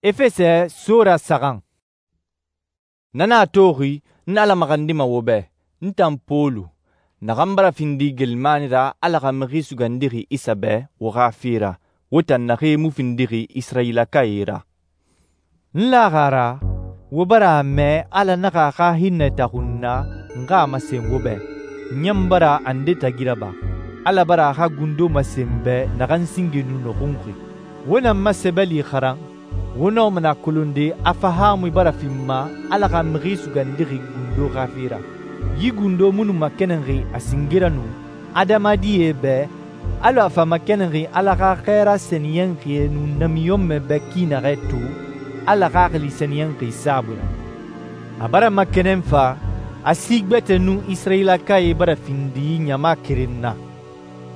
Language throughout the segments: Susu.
Efɛsɛ sora saxan. Na nan a toxi n Ala maxandima wo bɛ, n tan Pɔlu, naxan bara findi geelimani ra Ala xa Mixi Sugandixi Isa bɛ wo xa fe ra, wo tan naxee mu findixi Isirayilakae ra. N laxi a ra wo bara a mɛ Ala naxa a xa hinnɛ taxun n na n xa a masen wo bɛ. N ɲan bara a nde tagi raba. Ala bara a xa gundo masen n bɛ naxan singe nu nɔxunxi. Wo na n ma sɛbɛli xaran, wo nɔma nɛ a kolonde a fahaamui bara fi n ma Ala xa Mixi Sugandixi gundo xa fe ra. Yi gundo mu nu makɛnɛnxi a singe ra nu adamadie bɛ alɔ a fa makɛnɛnxi Ala xa xɛɛra sɛniyɛnxie nun namiɲɔnmɛ bɛ ki naxɛ to Ala Xaxili Sɛniyɛnxi saabui ra. A bara makɛnɛn fa a si gbɛtɛ nun Isirayilakae bara findi ɲama keren na.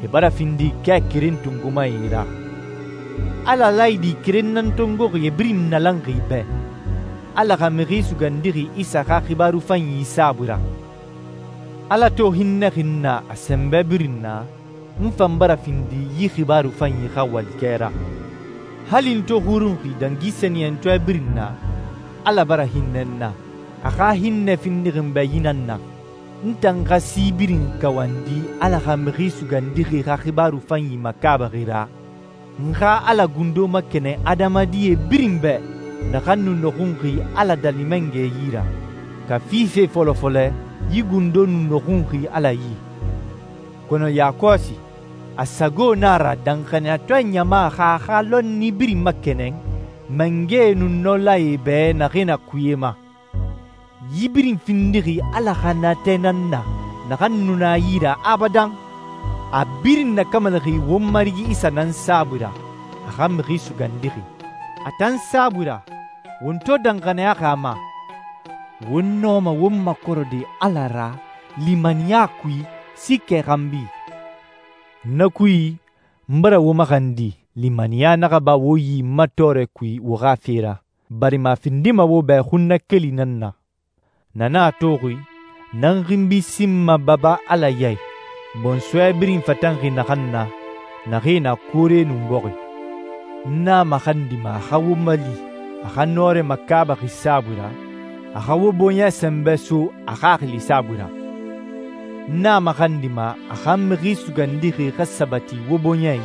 E bara findi kɛ keren tongomae ra. Ala laayidi keren nan tongoxi e birin nalanxi bɛ, Ala xa Mixi Sugandixi Isa xa xibaaru fanyi saabui ra. Ala to hinnɛxi n na a sɛnbɛ birin na, n fan bara findi yi xibaaru fanyi xa walikɛ ra. Hali n to xurunxi dangi sɛniyɛntɔɛ birin na, Ala bara hinnɛ n na. A xa hinnɛ findixi n bɛ yi nan na: n tan xa si birin kawandi Ala xa Mixi Sugandixi xa xibaaru fanyi makaabaxi ra, n xa Ala gundo makɛnɛn adamadie birin bɛ naxan nu nɔxunxi Ala dalimɛngɛ yi ra. Ka fife fɔlɔfɔlɛ, yi gundo nu nɔxunxi Ala yi. Kɔnɔ yakɔsi, a sago na a ra danxaniyatɔɛ ɲama xa a xa lɔnni birin makɛnɛn mangɛe nun nɔlae bɛ naxee na kuye ma. Yi birin findixi Ala xa natɛ nan na naxan nu na yi ra abadan. A birin nakamalixi won Marigi Isa nan saabui ra, a xa Mixi Sugandixi. A tan saabui ra, won to danxaniyaxi a ma, won nɔma won makɔrɔde Ala ra limaniya kui sikkɛ xanbi. Na kui, n bara wo maxandi limaniya naxa ba wo yi n ma tɔɔrɛ kui wo xa fe ra, barima a findima wo bɛ xunnakeli nan na. Na nan a toxi, nan xinbi sinma Baba Ala ya i, bɔnsɔɛ birin fatanxi naxan na, naxee na koore nun bɔxi. N na maxandima a xa wo mali a xa nɔrɛ makaabaxi saabui ra, a xa wo bɔɲɛ sɛnbɛ so a Xaxili saabui ra. N na maxandima a xa Mixi Sugandixi xa sabati wo bɔɲɛ i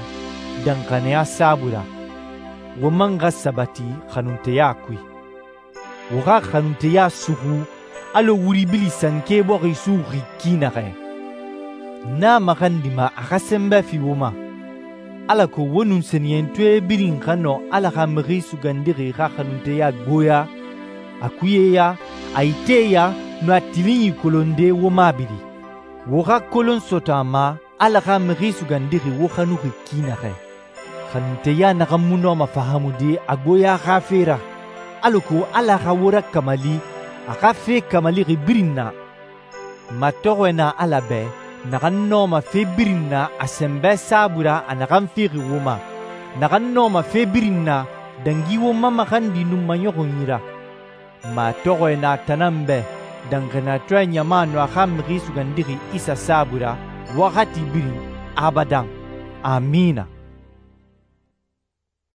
danxaniya saabui ra, wo man xa sabati xanunteya kui. Wo xa xanunteya suxu alɔ wuribili sanke bɔxi suxi ki naxɛ. N na maxandima a xa sɛnbɛ fi wo ma, alako wo nun sɛniyɛntɔɛ birin xa nɔ Ala xa Mixi Sugandixi xa xanunteya gboya, a kuyeya, a iteya, nun a tilinyi kolonde wo mabiri. Wo xa kolon sɔtɔ a ma Ala xa Mixi Sugandixi wo xanuxi ki naxɛ. Xanunteya naxan mu nɔma fahamude a gboya xa fe ra, alako Ala xa wo rakamali a xa fe kamalixi birin na. Matɔxɔɛ na Ala bɛ naxan nɔma fe birin na a sɛnbɛ saabui ra a naxan fexi wo ma, naxan nɔma fe birin na dangi wo ma maxandi nun maɲɔxunyi ra. Matɔxɔɛ na tanan bɛ danxaniyatɔɛ ɲama nu a xa Mixi Sugandixi Isa saabui ra waxati birin abadan. Amina.